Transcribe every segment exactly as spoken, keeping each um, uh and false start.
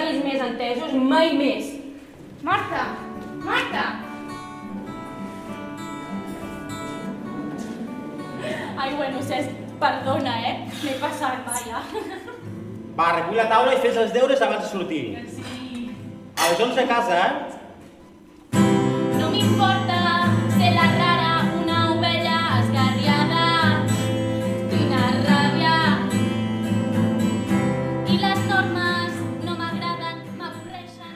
tenir més entesos, mai més. Marta! Marta! Ai, bueno, Cesc, perdona, eh? M'he passat, vaja. Va, recull la taula i fes els deures abans de sortir. Sí. A les onze a casa, eh? No m'importa ser la rara, una ovella esgarriada. Quina ràbia. I les normes no m'agraden, m'avorreixen.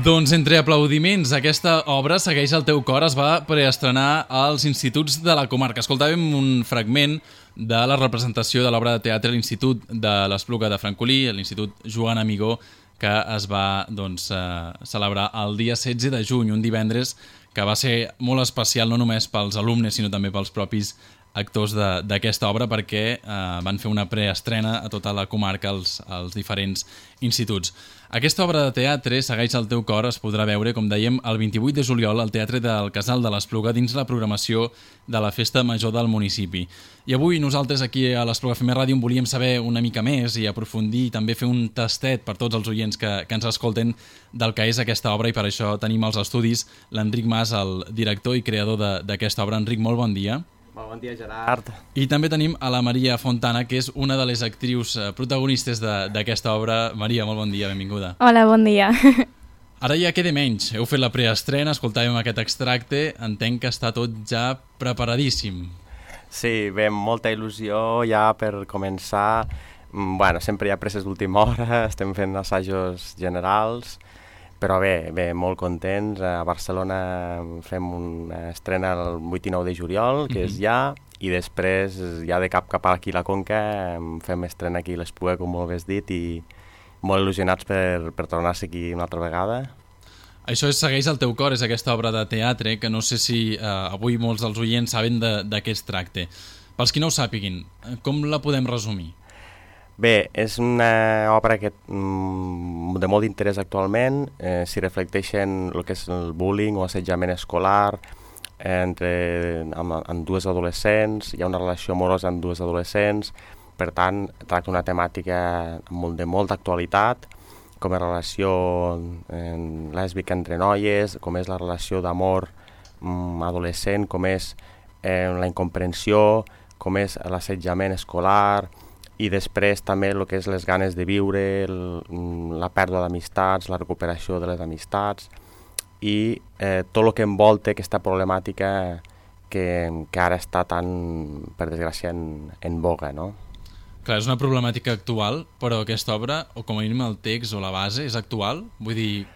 Doncs entre aplaudiments, aquesta obra, Segueix el teu cor, es va preestrenar als instituts de la comarca. Escoltàvem un fragment de la representació de l'obra de teatre a l'Institut de l'Espluga de Francolí, a l'Institut Joan Amigó, que es va doncs, eh, celebrar el dia setze de juny, un divendres que va ser molt especial no només pels alumnes, sinó també pels propis actors d'aquesta obra, perquè eh, van fer una preestrena a tota la comarca als, als diferents instituts. Aquesta obra de teatre, Segueix el teu cor, es podrà veure, com dèiem, el vint-i-vuit de juliol al Teatre del Casal de l'Espluga dins la programació de la Festa Major del municipi. I avui nosaltres aquí a l'Espluga F M Ràdio en volíem saber una mica més i aprofundir i també fer un tastet per tots els oients que, que ens escolten del que és aquesta obra, i per això tenim als estudis l'Enric Mas, el director i creador d'aquesta obra. Enric, molt bon dia. Molt bon dia, Gerard. I també tenim a la Maria Fontana, que és una de les actrius protagonistes d'aquesta obra. Maria, molt bon dia, benvinguda. Hola, bon dia. Ara ja queda menys. Heu fet la preestrena, escoltàvem aquest extracte, entenc que està tot ja preparadíssim. Sí, bé, molta il·lusió ja per començar. Bueno, sempre hi ha presses d'última hora, estem fent assajos generals, però bé, bé, molt contents. A Barcelona fem una estrena el vuit i nou de juliol, que mm-hmm. és ja, i després, ja de cap cap aquí a la Conca, fem estrena aquí a l'Espluga, com molt bé has dit, i molt il·lusionats per, per tornar-se aquí una altra vegada. Això és Segueix el teu cor, és aquesta obra de teatre, que no sé si eh, avui molts dels oients saben de, de què es tracta. Pels qui no ho sàpiguin, com la podem resumir? Bé, és una obra que, de molt d'interès actualment, eh, s'hi reflecteixen el que és el bullying o assetjament escolar entre amb, amb dues adolescents, hi ha una relació amorosa amb dues adolescents, per tant, tracta una temàtica molt, de molta actualitat, com és la relació eh, lèsbica entre noies, com és la relació d'amor mm, adolescent, com és eh, la incomprensió, com és l'assetjament escolar, i després també el que és les ganes de viure, el, la pèrdua d'amistats, la recuperació de les amistats i eh, tot el que envolta aquesta problemàtica que, que ara està tan, per desgràcia, en, en boga, no? Clar, és una problemàtica actual, però aquesta obra, o com a mínim el text o la base, és actual? Vull dir,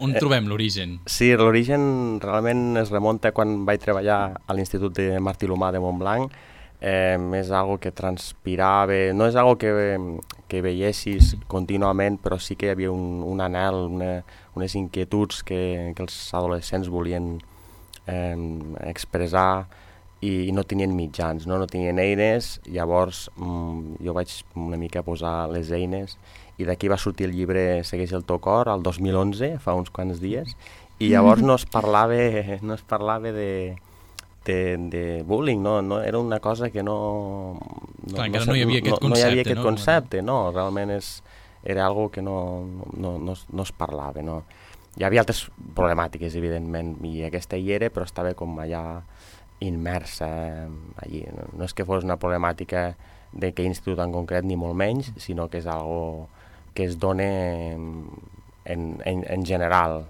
on eh, trobem l'origen? Sí, l'origen realment es remunta quan vaig treballar a l'Institut de Martí l'Humà de Montblanc. Eh, és algo que transpirava, no és algo que, que veiessis contínuament, però sí que hi havia un, un anhel, una, unes inquietuds que, que els adolescents volien eh, expressar i, i no tenien mitjans, no, no tenien eines. Llavors mm, jo vaig una mica posar les eines i d'aquí va sortir el llibre Segueix el teu cor, el dos mil onze, fa uns quants dies, i llavors no es parlava, no es parlava de... De, de bullying, no, no, era una cosa que no... no Clar, no, no hi havia aquest no, concepte, no hi havia aquest no? concepte, no, realment és, era algo que no, no, no, no es parlava, no. Hi havia altres problemàtiques, evidentment, i aquesta hi era, però estava com allà immersa allí. No és que fos una problemàtica de que institut en concret, ni molt menys, sinó que és algo que es dona en, en, en general,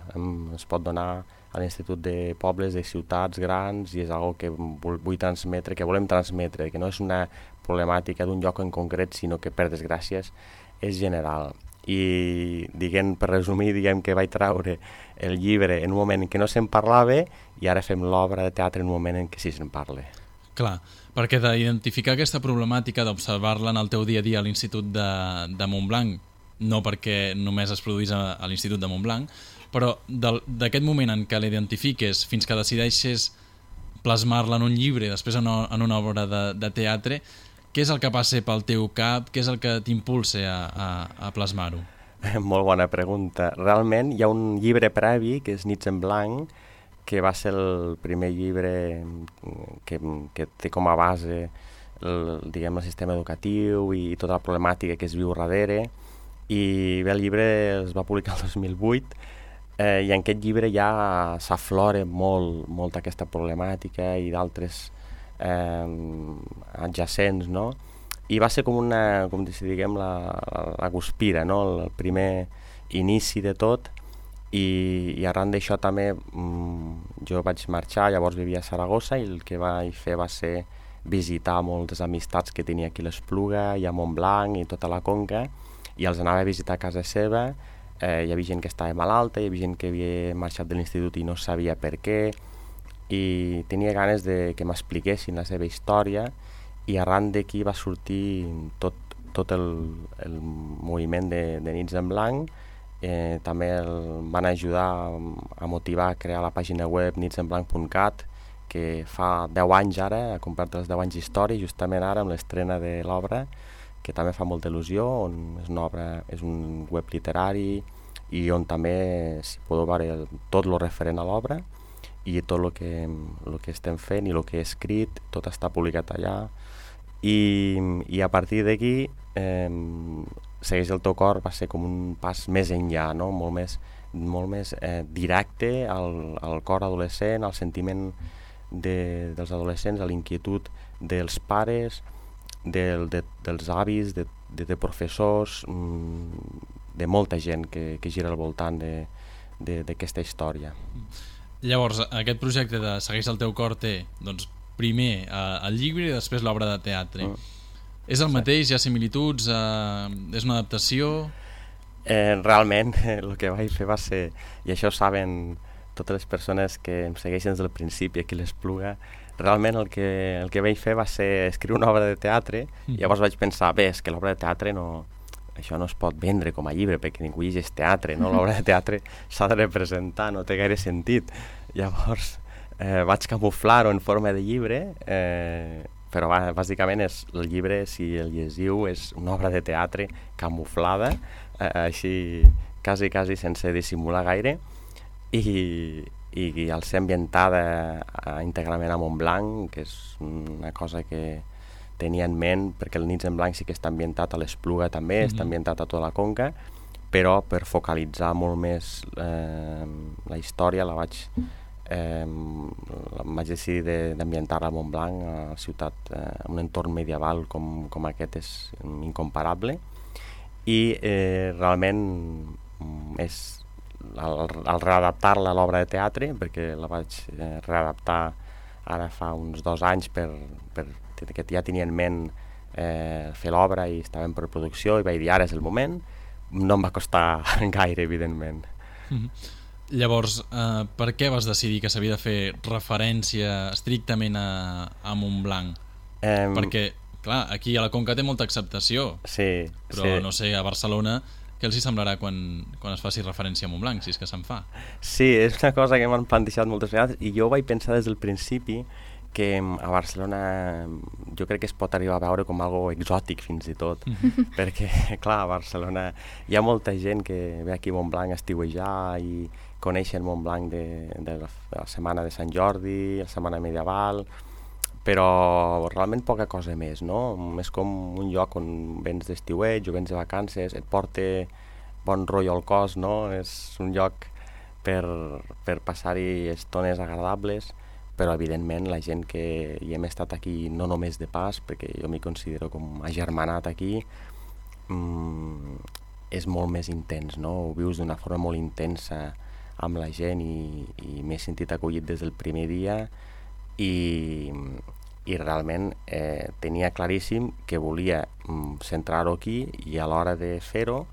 es pot donar a l'Institut de Pobles, de ciutats grans, i és una que vull, vull transmetre, que volem transmetre, que no és una problemàtica d'un lloc en concret, sinó que, per desgràcies, és general. I, diguem, per resumir, diguem que vaig treure el llibre en un moment en què no se'n parlava i ara fem l'obra de teatre en un moment en què sí se'n parla. Clar, perquè d'identificar aquesta problemàtica, d'observar-la en el teu dia a dia a l'Institut de, de Montblanc, no perquè només es produís a, a l'Institut de Montblanc, però d'aquest moment en què l'identifiques fins que decideixes plasmar-la en un llibre, després en una, en una obra de, de teatre, què és el que passa pel teu cap? Què és el que t'impulsa a, a, a plasmar-ho? Molt bona pregunta. Realment hi ha un llibre previ, que és Nits en blanc, que va ser el primer llibre que, que té com a base el, diguem, el sistema educatiu i tota la problemàtica que es viu darrere. I bé, el llibre es va publicar el dos mil vuit eh, i en aquest llibre ja s'aflora molt, molt aquesta problemàtica i d'altres eh, adjacents, no? I va ser com una, com si diguem, la, la guspira, no? El primer inici de tot. I, i arran d'això també mm, jo vaig marxar, llavors vivia a Saragossa i el que vaig fer va ser visitar moltes amistats que tenia aquí a l'Espluga i a Montblanc i tota la Conca, i els anava a visitar a casa seva. Eh, hi havia gent que estava malalta, hi havia gent que havia marxat de l'institut i no sabia per què, i tenia ganes de que m'expliquessin la seva història, i arran d'aquí va sortir tot, tot el, el moviment de, de Nits en Blanc. Eh, també el van ajudar a motivar a crear la pàgina web nits en blanc punt cat, que fa deu anys ara, ha complert els deu anys d'història, justament ara amb l'estrena de l'obra, que també fa molta il·lusió, on és una obra, és un web literari i on també s'hi podeu veure tot el referent a l'obra i tot el que, el que estem fent i el que he escrit, tot està publicat allà. I, i a partir d'aquí eh, Segueix el teu cor va ser com un pas més enllà, no? molt més, molt més eh, directe al, al cor adolescent, al sentiment de, dels adolescents, a l'inquietud dels pares, del, de, dels avis, de, de, de professors, de molta gent que, que gira al voltant d'aquesta història. Llavors, aquest projecte de Segueix el teu cor té, doncs, primer eh, el llibre i després l'obra de teatre. Mm. És el mateix? Hi ha similituds? Eh, és una adaptació? Eh, realment, el que vaig fer va ser, i això ho saben totes les persones que em segueixen des del principi aquí a l'Espluga, realment el que, el que vaig fer va ser escriure una obra de teatre, mm. i llavors vaig pensar, bé, és que l'obra de teatre no, això no es pot vendre com a llibre perquè ningú llegeix teatre, no? L'obra de teatre s'ha de representar, no té gaire sentit. Llavors eh, vaig camuflar-ho en forma de llibre, eh, però va, bàsicament és, el llibre, si el llegiu, és una obra de teatre camuflada, eh, així quasi, quasi sense dissimular gaire, i, i, i al ser ambientada eh, íntegrament a Montblanc, que és una cosa que tenia en ment, perquè el Nits en Blanc sí que està ambientat a l'Espluga també, mm-hmm. està ambientat a tota la Conca, però per focalitzar molt més eh, la història la vaig, eh, vaig decidir d'ambientar-la a Montblanc, a la ciutat, eh, un entorn medieval com, com aquest és incomparable, i eh, realment és al, al readaptar-la a l'obra de teatre, perquè la vaig eh, readaptar ara fa uns dos anys per, per que ja tenia en ment eh, fer l'obra i estava en preproducció i vaig dir ara és el moment, no em va costar gaire, evidentment. Mm-hmm. Llavors, eh, per què vas decidir que s'havia de fer referència estrictament a, a Montblanc? Eh, Perquè, clar, aquí a la Conca té molta acceptació, sí, però sí. no sé, a Barcelona què els hi semblarà quan, quan es faci referència a Montblanc, si és que se'n fa? Sí, és una cosa que m'han plantejat moltes vegades i jo vaig pensar des del principi que a Barcelona jo crec que es pot arribar a veure com algo exòtic fins i tot, mm-hmm. perquè clar, a Barcelona hi ha molta gent que ve aquí a Montblanc a estiuejar i coneixen Montblanc de, de, la, de la setmana de Sant Jordi, la setmana medieval, però realment poca cosa més, no? És com un lloc on vens d'estiueig o vens de vacances, et porta bon rotllo al cos, no? És un lloc per, per passar-hi estones agradables, però evidentment la gent que hi hem estat aquí no només de pas, perquè jo m'hi considero com agermanat aquí, mmm, és molt més intens, no? Ho vius d'una forma molt intensa amb la gent i, i m'he sentit acollit des del primer dia i, i realment eh, tenia claríssim que volia mm, centrar-ho aquí i a l'hora de fer-ho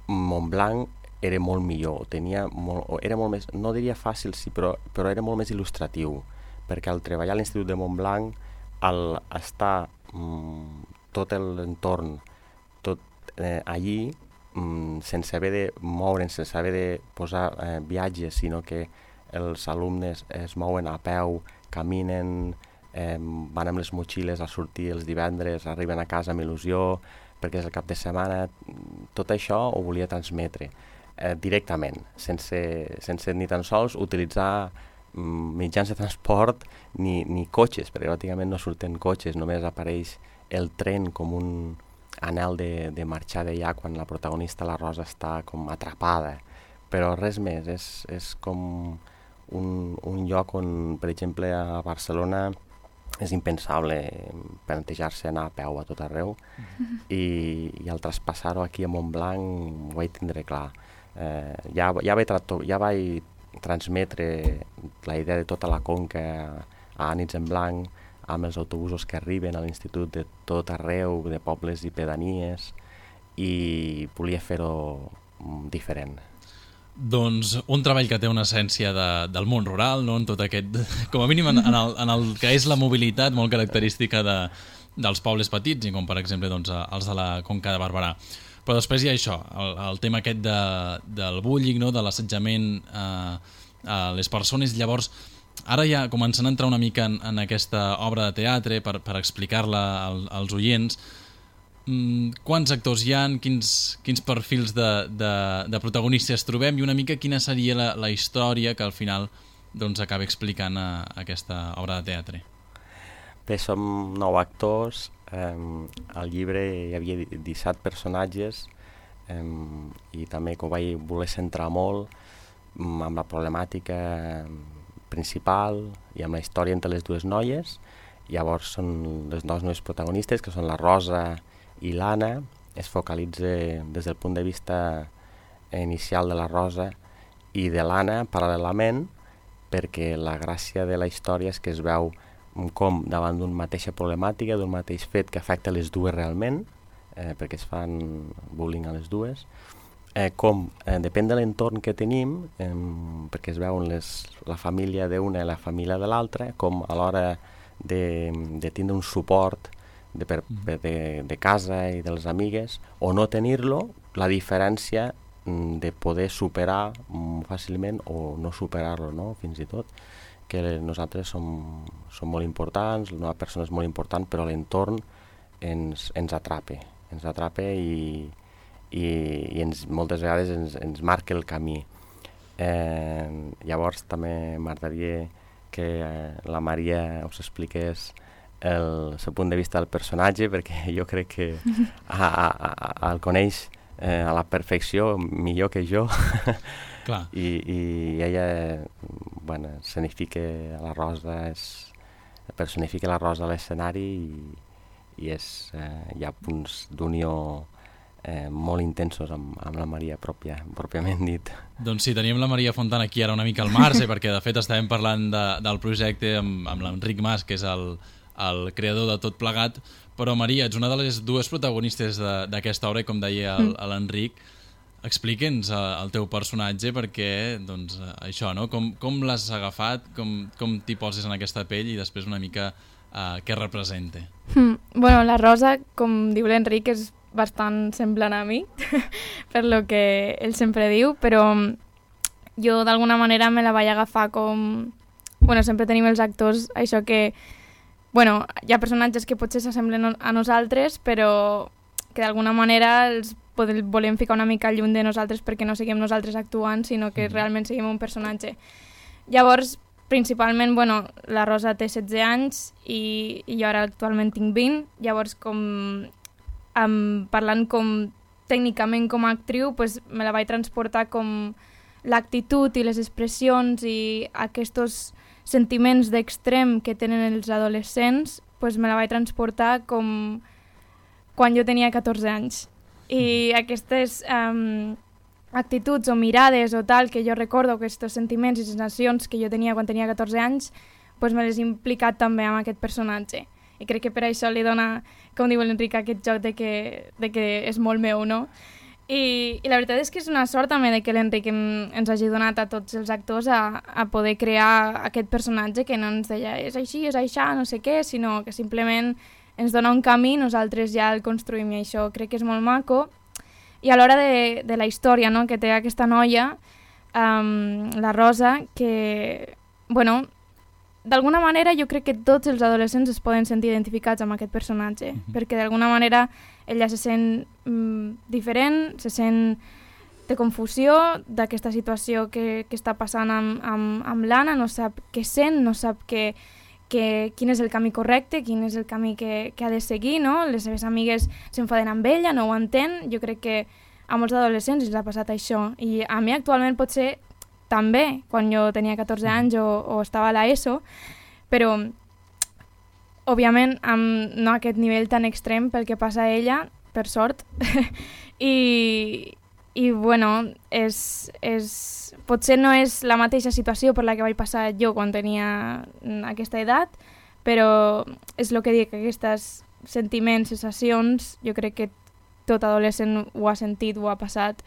Montblanc era molt millor, tenia molt, era molt més, no diria fàcil, sí, però, però era molt més il·lustratiu, perquè al treballar a l'Institut de Montblanc, al estar mm, tot l'entorn, tot eh, allí, mm, sense haver de moure'n, sense haver de posar eh, viatges, sinó que els alumnes es mouen a peu, caminen, eh, van amb les motxilles a sortir els divendres, arriben a casa amb il·lusió, perquè és el cap de setmana, tot això ho volia transmetre. Eh, directament, sense, sense ni tan sols utilitzar mitjans de transport ni, ni cotxes, perquè pràcticament no surten cotxes, només apareix el tren com un anhel de, de marxar d'allà quan la protagonista, la Rosa, està com atrapada. Però res més, és, és com un, un lloc on, per exemple, a Barcelona és impensable plantejar-se anar a peu a tot arreu mm-hmm. i, i al traspassar-ho aquí a Montblanc ho vaig tindre clar. Eh, ja, ja, vaig trato, ja vaig transmetre la idea de tota la Conca a Nits en Blanc, amb els autobusos que arriben a l'institut de tot arreu, de pobles i pedanies, i volia fer-ho diferent. Doncs un treball que té una essència de, del món rural, no? En tot aquest, com a mínim en, en, el, en el que és la mobilitat molt característica de, dels pobles petits, i com per exemple doncs, els de la Conca de Barberà. Però després hi ha això, el, el tema aquest de, del bullying, no? De l'assetjament eh, a les persones. Llavors, ara ja començant a entrar una mica en, en aquesta obra de teatre per, per explicar-la al, als oients, mm, quants actors hi ha, quins, quins perfils de, de, de protagonistes trobem i una mica quina seria la, la història que al final doncs, acaba explicant a, a aquesta obra de teatre. Bé, som nou actors. Um, al llibre hi havia disset personatges um, i també que ho vaig voler centrar molt um, amb la problemàtica principal i amb la història entre les dues noies. Llavors són les dues noves protagonistes, que són la Rosa i l'Anna. Es focalitza des del punt de vista inicial de la Rosa i de l'Anna paral·lelament, perquè la gràcia de la història és que es veu com davant d'una mateixa problemàtica, d'un mateix fet que afecta les dues realment, eh, perquè es fan bullying a les dues, eh, com eh, depèn de l'entorn que tenim, eh, perquè es veuen les, la família d'una i la família de l'altra, com a l'hora de, de tindre un suport de, per, de, de casa i de les amigues, o no tenir-lo, la diferència de poder superar fàcilment o no superar-lo, no? Fins i tot. Que nosaltres som, som molt importants, la nova persona és molt important, però l'entorn ens, ens atrapa, ens atrapa i, i, i ens, moltes vegades ens, ens marca el camí. Eh, llavors també m'agradaria que eh, la Maria us expliqués el seu punt de vista del personatge, perquè jo crec que a, a, a, el coneix eh, a la perfecció, millor que jo. Clar. I, i ella, bueno, significa la Rosa, és, personifica la Rosa a l'escenari i, i és, eh, hi ha punts d'unió eh, molt intensos amb, amb la Maria pròpia, pròpiament dit. Doncs sí, teníem la Maria Fontana aquí ara una mica al marge, perquè de fet estàvem parlant de, del projecte amb, amb l'Enric Mas, que és el, el creador de tot plegat, però Maria, ets una de les dues protagonistes d'aquesta obra, com deia l'Enric. Explica'ns el teu personatge perquè, doncs, això, no? Com, com l'has agafat, com, com t'hi poses en aquesta pell i després una mica uh, què representa. Mm, bueno, la Rosa, com diu l'Enric, és bastant semblant a mi, per lo que ell sempre diu, però jo d'alguna manera me la vaig agafar com... Bueno, sempre tenim els actors, això que... Bueno, hi ha personatges que potser s'assemblen a nosaltres, però que d'alguna manera els volem ficar una mica lluny de nosaltres perquè no siguem nosaltres actuant, sinó que realment siguem un personatge. Llavors, principalment, bueno, la Rosa té setze anys i, i jo ara actualment tinc vint, llavors com um, parlant com tècnicament com a actriu, pues, me la vaig transportar com l'actitud i les expressions i aquests sentiments d'extrem que tenen els adolescents, pues, me la vaig transportar com quan jo tenia catorze anys. I aquestes um, actituds o mirades o tal que jo recordo, aquests sentiments i sensacions que jo tenia quan tenia catorze anys, pues me les he implicat també amb aquest personatge. I crec que per això li dona, com diu l'Enric, aquest joc de que, de que és molt meu, no? I, I la veritat és que és una sort també de que l'Enric ens hagi donat a tots els actors a, a poder crear aquest personatge que no ens deia és així, és això, no sé què, sinó que simplement ens dona un camí, nosaltres ja el construïm i això crec que és molt maco. I a l'hora de, de la història, no?, que té aquesta noia, um, la Rosa, que, bueno, d'alguna manera jo crec que tots els adolescents es poden sentir identificats amb aquest personatge, mm-hmm. perquè d'alguna manera ella se sent mm, diferent, se sent, de confusió d'aquesta situació que, que està passant amb, amb, amb l'Anna, no sap què sent, no sap que, que, quin és el camí correcte, quin és el camí que, que ha de seguir, no? Les seves amigues s'enfaden amb ella, no ho entén. Jo crec que a molts adolescents els ha passat això. I a mi actualment potser també, quan jo tenia catorze anys o, o estava a l'ESO, però òbviament amb no aquest nivell tan extrem pel que passa a ella, per sort, i, i bueno, és, és, potser no és la mateixa situació per la que vaig passar jo quan tenia aquesta edat, però és el que dic, aquests sentiments, sensacions, jo crec que tot adolescent ho ha sentit, ho ha passat,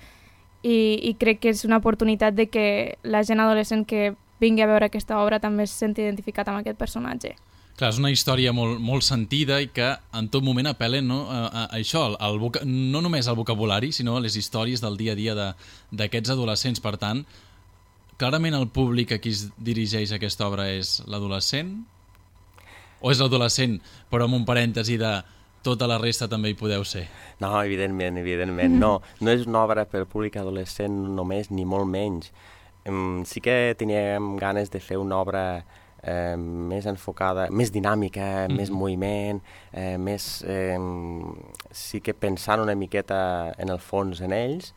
i, i crec que és una oportunitat de que la gent adolescent que vingui a veure aquesta obra també es senti identificat amb aquest personatge. Clar, és una història molt, molt sentida i que en tot moment apel·len, no, a, a, a això, al voca... no només al vocabulari, sinó a les històries del dia a dia d'aquests adolescents. Per tant, clarament el públic a qui es dirigeix aquesta obra és l'adolescent? O és l'adolescent, però amb un parèntesi de tota la resta també hi podeu ser? No, evidentment, evidentment. No, no és una obra per públic adolescent només, ni molt menys. Um, sí que teníem ganes de fer una obra Eh, més enfocada, més dinàmica, mm. més moviment, eh, més, eh, sí que pensant una miqueta en el fons en ells,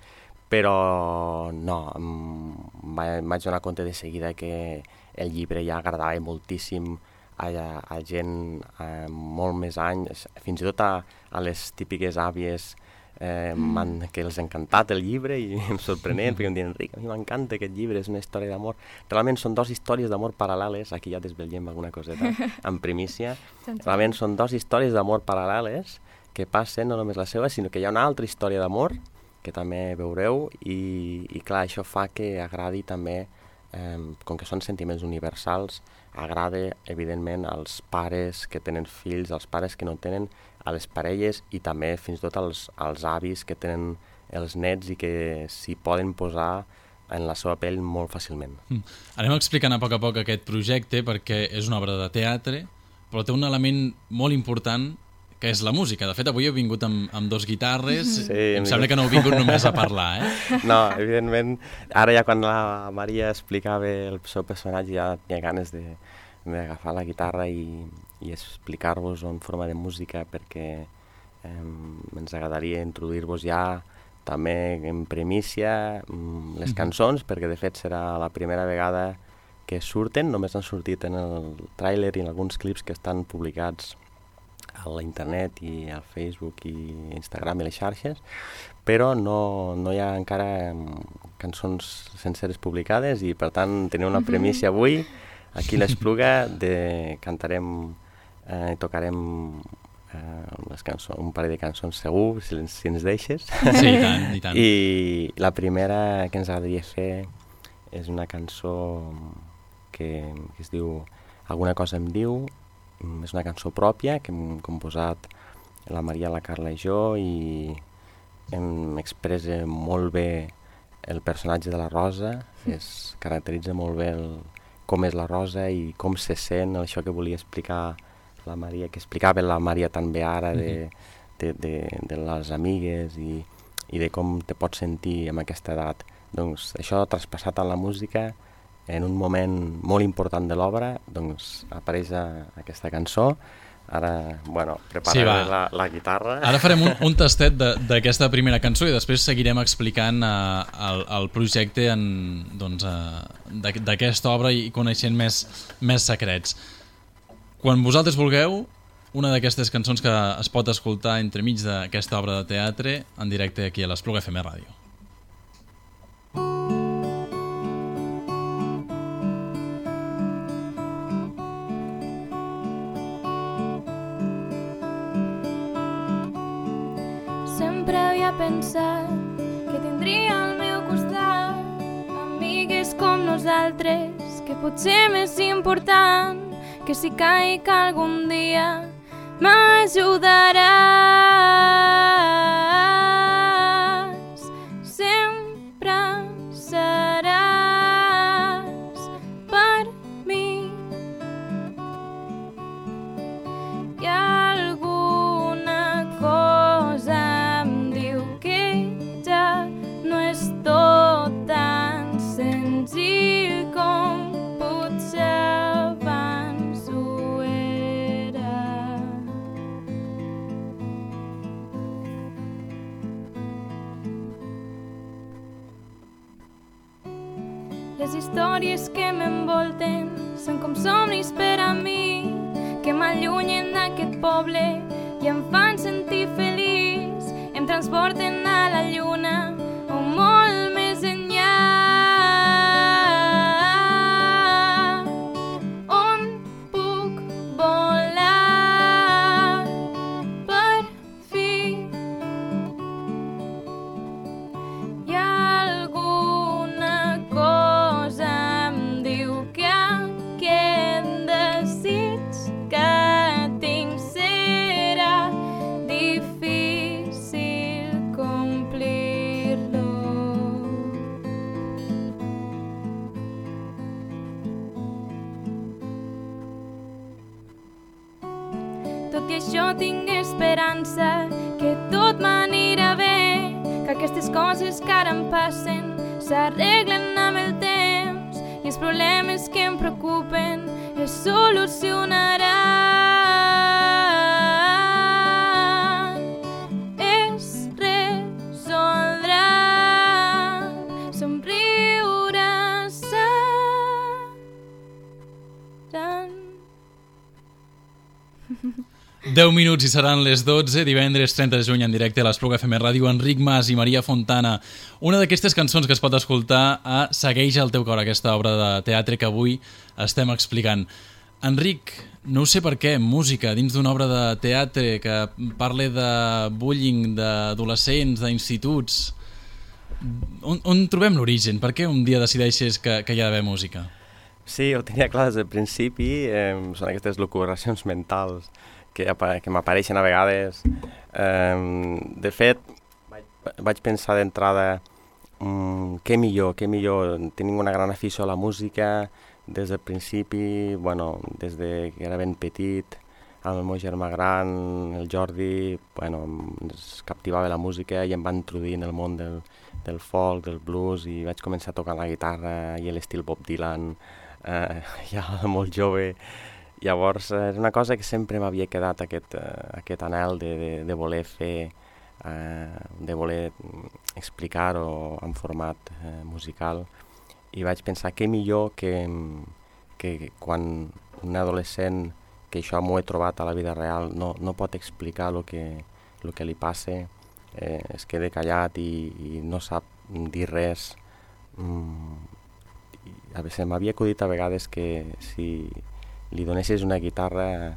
però no, em vaig donar compte de seguida que el llibre ja agradava moltíssim a, a gent eh, molt més anys, fins i tot a, a les típiques àvies Eh, mm. que els ha encantat el llibre i em sorprenent, perquè em diuen, Enric, a mi m'encanta aquest llibre, és una història d'amor. Realment són dues històries d'amor paral·leles, aquí ja desvetllem alguna coseta, en primícia. Realment són dues històries d'amor paral·leles que passen no només la seva, sinó que hi ha una altra història d'amor que també veureu i, i clar, això fa que agradi també, eh, com que són sentiments universals, agrada evidentment als pares que tenen fills, als pares que no tenen, a les parelles i també fins i tot als, als avis que tenen els nets i que s'hi poden posar en la seva pell molt fàcilment. Mm. Anem explicant a poc a poc aquest projecte perquè és una obra de teatre, però té un element molt important que és la música. De fet, avui he vingut amb, amb dos guitarres, sí, em sembla que no heu vingut només a parlar, eh? No, evidentment, ara ja quan la Maria explicava el seu personatge ja tenia ganes de d'agafar la guitarra i, i explicar-vos en forma de música perquè eh, ens agradaria introduir-vos ja també en primícia les cançons, perquè de fet serà la primera vegada que surten, només han sortit en el tràiler i en alguns clips que estan publicats a la internet i al Facebook i Instagram i les xarxes, però no, no hi ha encara cançons senceres publicades i per tant tenim una primícia avui aquí a l'Espluga, de cantarem i eh, tocarem eh, les cançons, un parell de cançons segur, si, si ens deixes. Sí, i tant, i tant. I la primera que ens agradaria fer és una cançó que, que es diu Alguna cosa em diu, és una cançó pròpia que hem composat la Maria, la Carla i jo i em expressa molt bé el personatge de la Rosa, es caracteritza molt bé el com és la Rosa i com se sent, això que volia explicar la Maria, que explicava la Maria també ara de, de, de, de les amigues i, i de com te pots sentir amb aquesta edat. Doncs això traspassat a la música, en un moment molt important de l'obra, doncs apareix a, aquesta cançó. Ara, bueno, prepararé sí, la, la guitarra. Ara farem un, un tastet d'aquesta primera cançó i després seguirem explicant uh, el, el projecte en, doncs, uh, d'aquesta obra i coneixent més, més secrets. Quan vosaltres vulgueu, una d'aquestes cançons que es pot escoltar entremig d'aquesta obra de teatre en directe aquí a l'Espluga F M Ràdio. Pensar que tindria al meu costat amigues com nosaltres, que potser més important que si caic algun dia m'ajudaràs, sempre seràs per mi. Hi ha alguna cosa no és tot històries que m'envolten són com somnis per a mi, que m'allunyen d'aquest poble i em fan sentir feliç, em transporten a la lluna o molt més enllà, on puc volar per fi. Hi ha alguna cosa em diu que aquest desig que tinc serà difícil complir-lo. Tot i això tinc esperança que tot m'anirà bé, que aquestes coses que ara em passen s'arreglen amb el temps i els problemes que em preocupen es solucionaran, es resoldran, somriure seran. deu minuts i seran les dotze, divendres trenta de juny en directe a l'Espluga F M Ràdio, Enric Mas i Maria Fontana. Una d'aquestes cançons que es pot escoltar a Segueix el teu cor, aquesta obra de teatre que avui estem explicant. Enric, no ho sé per què, música dins d'una obra de teatre que parli de bullying, d'adolescents, d'instituts. On, on trobem l'origen? Per què un dia decideixes que, que hi ha d'haver música? Sí, ho tenia clar des del principi, eh, són aquestes locubracions mentals que, que m'apareixen a vegades. Eh, de fet, vaig, vaig pensar d'entrada mm, què millor, què millor, tenim una gran afició a la música des del principi, bueno, des de que era ben petit, amb el meu germà gran, el Jordi, bueno, ens captivava la música i em va introduir en el món del, del folk, del blues, i vaig començar a tocar la guitarra i l'estil Bob Dylan, eh, ja molt jove. Llavors, és una cosa que sempre m'havia quedat, aquest, uh, aquest anhel de, de, de voler fer, uh, de voler explicar-ho en format uh, musical. I vaig pensar que millor que, que quan un adolescent, que això m'ho he trobat a la vida real, no, no pot explicar el que, lo que li passa, eh, es queda callat i, i no sap dir res. Mm, a veure, m'havia acudit a vegades que si li donessis una guitarra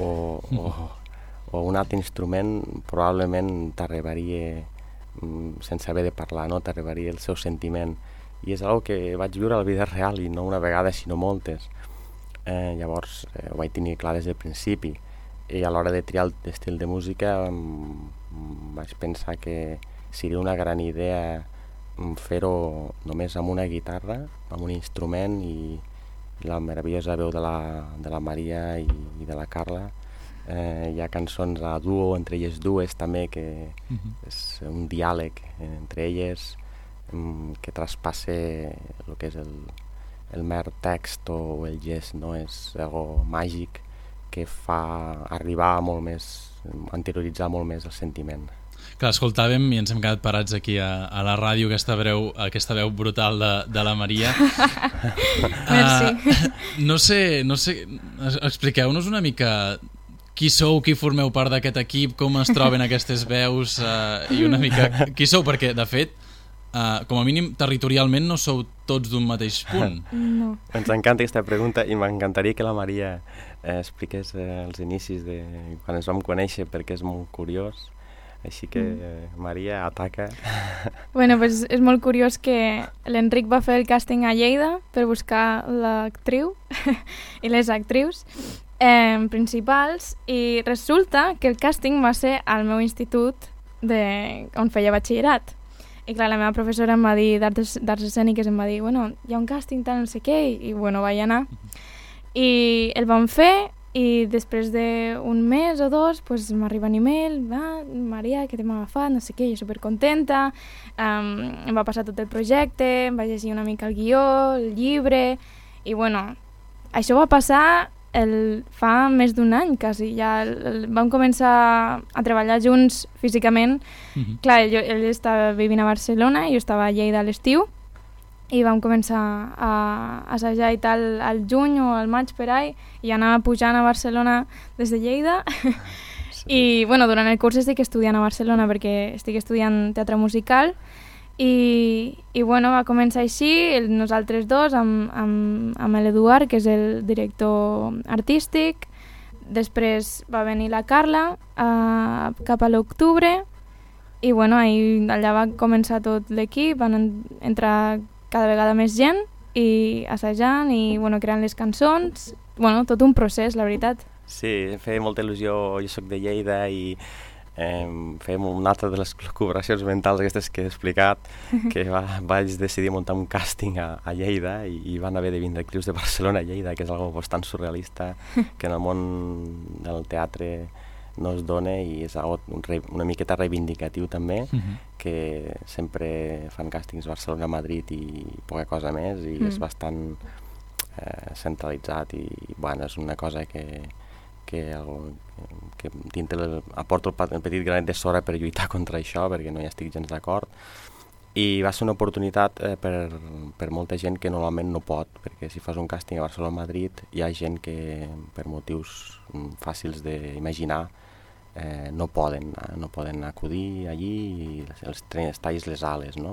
o, o, o un altre instrument, probablement t'arribaria, sense haver de parlar, no? T'arribaria el seu sentiment. I és una cosa que vaig viure a la vida real i no una vegada, sinó moltes. Eh, llavors eh, ho vaig tenir clar des del principi. I a l'hora de triar l'estil de música m, vaig pensar que seria una gran idea fer-ho només amb una guitarra, amb un instrument, i la meravellosa veu de la, de la Maria i, i de la Carla. Eh, hi ha cançons a duo entre elles dues també, que uh-huh. és un diàleg entre elles um, que traspassa el que és el, el mer text o el gest, no? És algo màgic que fa arribar molt més, anterioritzar molt més el sentiment. Clar, escoltàvem i ens hem quedat parats aquí a, a la ràdio, aquesta veu, aquesta veu brutal de, de la Maria. Merci. Uh, no sé, no sé, expliqueu-nos una mica qui sou, qui formeu part d'aquest equip, com es troben aquestes veus uh, i una mica qui sou, perquè de fet, uh, com a mínim territorialment no sou tots d'un mateix punt. No. Ens encanta aquesta pregunta i m'encantaria que la Maria eh, expliqués eh, els inicis de quan ens vam conèixer, perquè és molt curiós. Així que, mm. Maria, ataca. Bueno, pues és molt curiós que l'Enric va fer el càsting a Lleida per buscar l'actriu i les actrius eh, principals, i resulta que el càsting va ser al meu institut de, on feia batxillerat. I clar, la meva professora em va dir d'arts escèniques, em va dir, bueno, hi ha un càsting tal, no sé què, i, i bueno, vaig anar. I el vam fer, i després d'un mes o dos pues, m'arriba un email, va, Maria, que t'hem agafat, no sé què, jo supercontenta, um, em va passar tot el projecte, em vaig llegir una mica el guió, el llibre, i bueno, això va passar el, fa més d'un any quasi, ja el, el, vam començar a treballar junts físicament. Mm-hmm. Clar, jo, ell estava vivint a Barcelona i jo estava a Lleida a l'estiu, i vam començar a assajar i tal al juny o al maig per ahí, i anava pujant a Barcelona des de Lleida. Sí. I bueno, durant el curs estic estudiant a Barcelona perquè estic estudiant teatre musical i, i bueno, va començar així, el, nosaltres dos, amb, amb, amb l'Eduard, que és el director artístic. Després va venir la Carla uh, cap a l'octubre i bueno, ahí, allà va començar tot l'equip, van en, entrar cada vegada més gent i assajant i bueno, creant les cançons. Bueno, tot un procés, la veritat. Sí, em feia molta il·lusió, jo soc de Lleida i eh, fèiem una altra de les col·laboracions mentals aquestes que he explicat, que va, vaig decidir muntar un càsting a, a Lleida i, i van haver de vindre actrius de Barcelona a Lleida, que és algo bastant surrealista, que en el món del teatre no es dona i és algo un re, una miqueta reivindicatiu també, uh-huh. que sempre fan càstings Barcelona, Madrid i poca cosa més i mm. és bastant eh, centralitzat i bueno, és una cosa que, que, el, que dintre el, aporto el, el petit granet de sorra per lluitar contra això perquè no hi estic gens d'acord i va ser una oportunitat eh, per, per molta gent que normalment no pot, perquè si fas un càsting a Barcelona o Madrid hi ha gent que per motius mm, fàcils d'imaginar Eh, no poden, no poden acudir allí i els els talls les ales, no?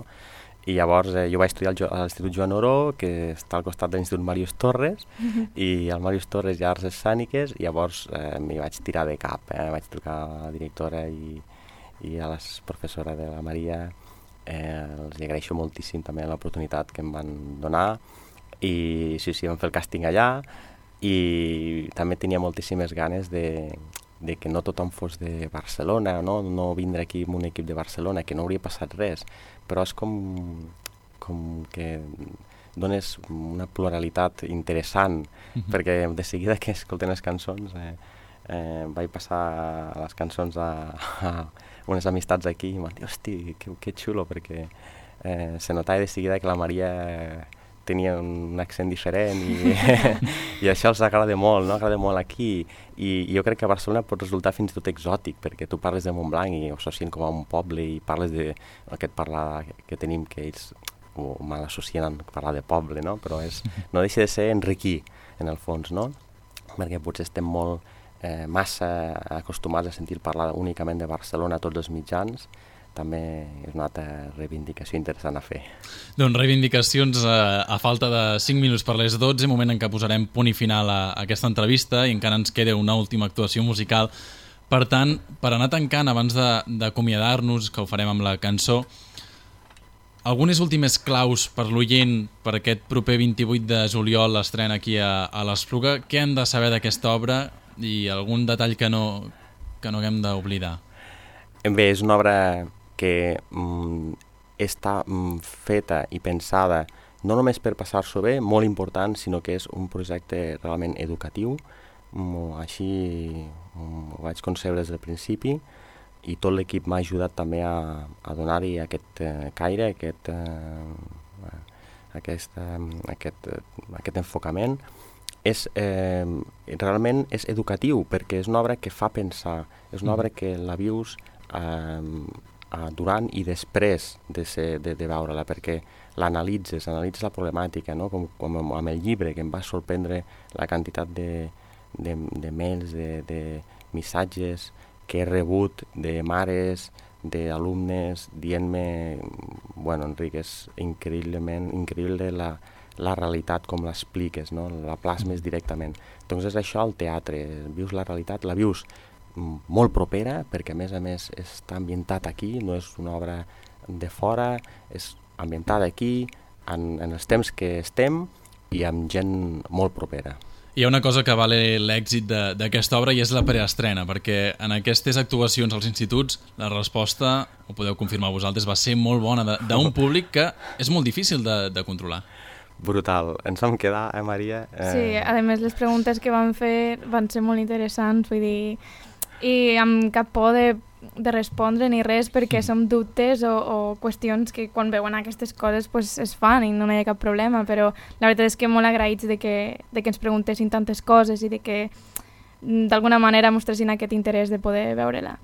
I llavors eh, jo vaig estudiar a l'Institut Joan Oró, que està al costat de l'Institut Màrius Torres, uh-huh. i al Màrius Torres hi ha arts escèniques, i llavors eh, m'hi vaig tirar de cap, eh? Vaig trucar a la directora i, i a la professora de la Maria, eh, els agraeixo moltíssim també l'oportunitat que em van donar, i sí, sí, vam fer el càsting allà, i també tenia moltíssimes ganes de de que no tothom fos de Barcelona, no, no vindre aquí amb un equip de Barcelona, que no hauria passat res, però és com, com que dones una pluralitat interessant, uh-huh. perquè de seguida que escolten les cançons eh, eh, vaig passar les cançons a, a unes amistats aquí i em van dir, hosti, que, que xulo, perquè eh, se notava de seguida que la Maria tenia un accent diferent i, i això els agrada molt, no? Agrada molt aquí i, i jo crec que a Barcelona pot resultar fins i tot exòtic perquè tu parles de Montblanc i ho associen com a un poble i parles de aquest parlar que tenim que ells ho mal associen a parlar de poble, no? Però és, no deixa de ser enriquir en el fons, no? Perquè potser estem molt eh, massa acostumats a sentir parlar únicament de Barcelona a tots els mitjans, també és una altra reivindicació interessant a fer. Doncs reivindicacions a, a falta de cinc minuts per les dotze, moment en què posarem punt i final a, a aquesta entrevista i encara ens queda una última actuació musical. Per tant, per anar tancant, abans d'acomiadar-nos, que ho farem amb la cançó, algunes últimes claus per l'oient per aquest proper vint-i-vuit de juliol l'estrena aquí a, a l'Espluga. Què hem de saber d'aquesta obra i algun detall que no, que no haguem d'oblidar? Bé, és una obra que mm, està mm, feta i pensada no només per passar-s'ho bé, molt important, sinó que és un projecte realment educatiu. Mm, així mm, ho vaig concebre des del principi i tot l'equip m'ha ajudat també a, a donar-hi aquest eh, caire, aquest, eh, aquest, eh, aquest, eh, aquest enfocament. És, eh, realment és educatiu perquè és una obra que fa pensar, és una obra que la vius eh, durant i després de, ser, de, de veure-la, perquè l'analitzes, analitzes la problemàtica, no? com, com amb el llibre, que em va sorprendre la quantitat de, de, de mails, de, de missatges que he rebut de mares, d'alumnes, dient-me, bueno, Enric, és increïblement, increïble la, la realitat com l'expliques, no? La plasmes directament. Doncs és això el teatre, vius la realitat, la vius molt propera, perquè a més a més està ambientat aquí, no és una obra de fora, és ambientada aquí, en, en els temps que estem i amb gent molt propera. Hi ha una cosa que vale l'èxit d'aquesta obra i és la preestrena, perquè en aquestes actuacions als instituts la resposta, ho podeu confirmar vosaltres, va ser molt bona d'un públic que és molt difícil de, de controlar. Brutal. Ens vam quedar, eh, Maria? Eh... Sí, a més les preguntes que van fer van ser molt interessants, vull dir, i amb cap por de, de respondre ni res perquè som dubtes o, o qüestions que quan veuen aquestes coses pues, es fan i no hi ha cap problema, però la veritat és que molt agraïts de que, de que ens preguntessin tantes coses i de que d'alguna manera mostressin aquest interès de poder veure-la.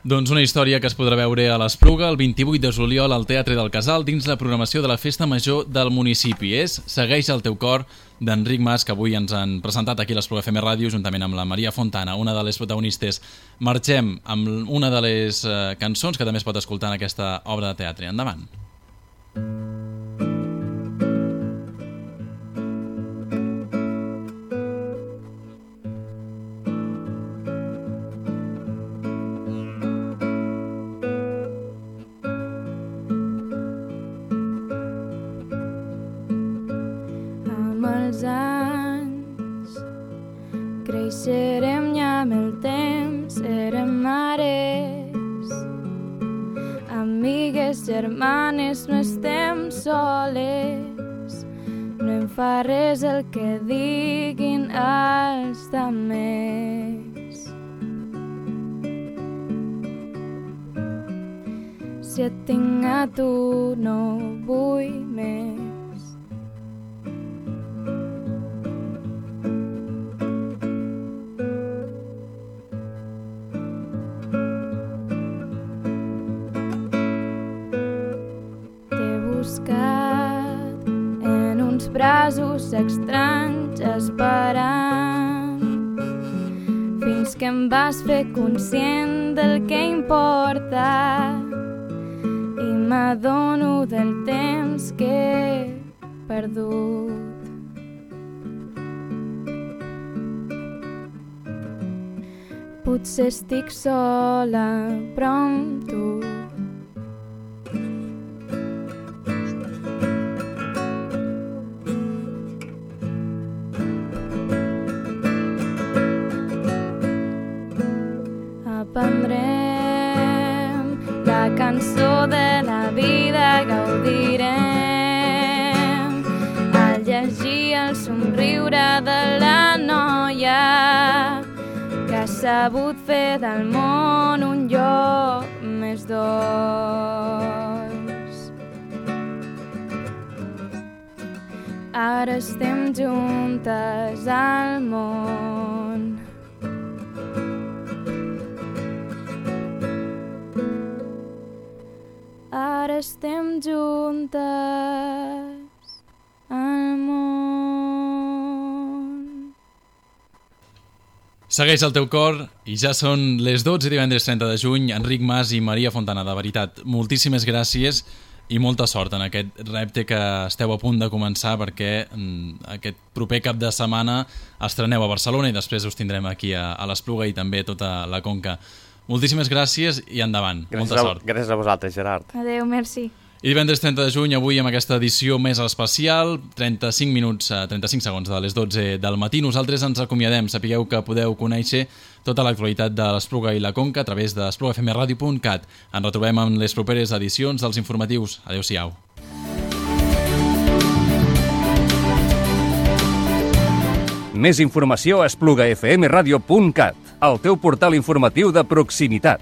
Doncs una història que es podrà veure a l'Espluga el vint-i-vuit de juliol al Teatre del Casal dins la programació de la Festa Major del municipi. És Segueix el teu cor, d'Enric Mas, que avui ens han presentat aquí a l'Espluga F M Ràdio juntament amb la Maria Fontana, una de les protagonistes. Marxem amb una de les eh, cançons que també es pot escoltar en aquesta obra de teatre. Endavant. Creixerem i amb el temps serem mares, amigues, germanes, no estem soles, no em fa res el que diguin els demés. Si et tinc a tu no vull més. En uns braços estranys esperant fins que em vas fer conscient del que importa i m'adono del temps que he perdut. Potser estic sola però amb tu. Aprendrem la cançó de la vida, gaudirem al llegir el somriure de la noia que ha sabut fer del món un lloc més dolç. Ara estem juntes al món. Ara estem juntes al món. Segueix el teu cor i ja són les dotze i divendres trenta de juny. Enric Mas i Maria Fontana, de veritat, moltíssimes gràcies i molta sort en aquest repte que esteu a punt de començar, perquè aquest proper cap de setmana estreneu a Barcelona i després us tindrem aquí a, a l'Espluga i també tota la Conca. Moltíssimes gràcies i endavant. Gràcies Molta sort. A, gràcies a vosaltres, Gerard. Adéu, merci. I divendres trenta de juny, avui amb aquesta edició més especial, trenta-cinc minuts, trenta-cinc segons de les dotze del matí. Nosaltres ens acomiadem. Sapigueu que podeu conèixer tota l'actualitat de l'Espluga i la Conca a través de espluga f m radio punt cat. Ens retrobem en les properes edicions dels informatius. Adéu-siau. Més informació a espluga f m radio punt cat, el teu portal informatiu de proximitat.